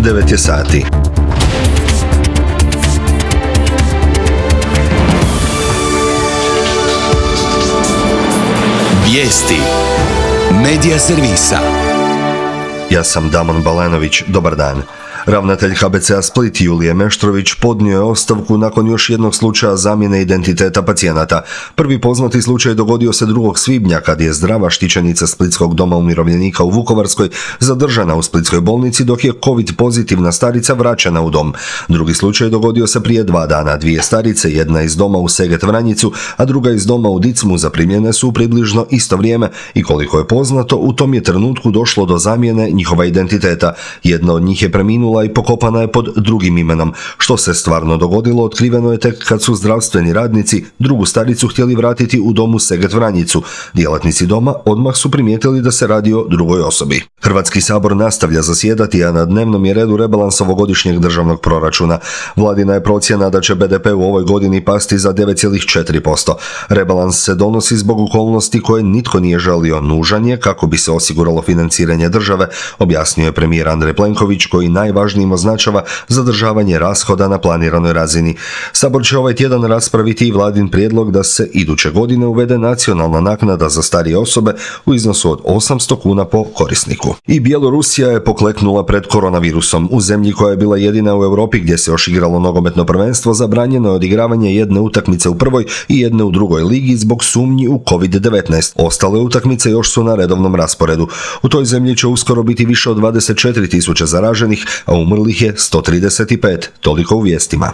9 je sati. Vijesti Medija servisa. Ja sam Damon Balenović, dobar dan. Ravnatelj KBC-a Split Julije Meštrović podnio je ostavku nakon još jednog slučaja zamjene identiteta pacijenata. Prvi poznati slučaj dogodio se 2. svibnja kad je zdrava štićenica Splitskog doma umirovljenika u Vukovarskoj zadržana u splitskoj bolnici dok je COVID pozitivna starica vraćena u dom. Drugi slučaj dogodio se prije 2 dana. 2 starice, jedna iz doma u Seget Vranjicu, a druga iz doma u Dicmu zaprimljene su u približno isto vrijeme i koliko je poznato, u tom je trenutku došlo do zamjene njihova identiteta. Jedna od njih je preminula i pokopana je pod drugim imenom. Što se stvarno dogodilo, otkriveno je tek kad su zdravstveni radnici drugu staricu htjeli vratiti u domu Seget Vranjicu. Djelatnici doma odmah su primijetili da se radi o drugoj osobi. Hrvatski sabor nastavlja zasjedati, a na dnevnom je redu rebalans ovogodišnjeg državnog proračuna. Vladina je procjena da će BDP u ovoj godini pasti za 9,4%. Rebalans se donosi zbog okolnosti koje nitko nije želio. Nužan je kako bi se osiguralo financiranje države, objasnio je premijer Andrej Plenković, koji najvažnijim označava zadržavanje rashoda na planiranoj razini. Sabor će ovaj tjedan raspraviti i vladin prijedlog da se iduće godine uvede nacionalna naknada za starije osobe u iznosu od 800 kuna po korisniku. I Bjelorusija je pokleknula pred koronavirusom. U zemlji koja je bila jedina u Europi gdje se još igralo nogometno prvenstvo, zabranjeno je odigravanje jedne utakmice u prvoj i jedne u drugoj ligi zbog sumnji u COVID-19. Ostale utakmice još su na redovnom rasporedu. U toj zemlji će uskoro biti više od 24.000 zaraženih, a umrlih je 135. Toliko u vijestima.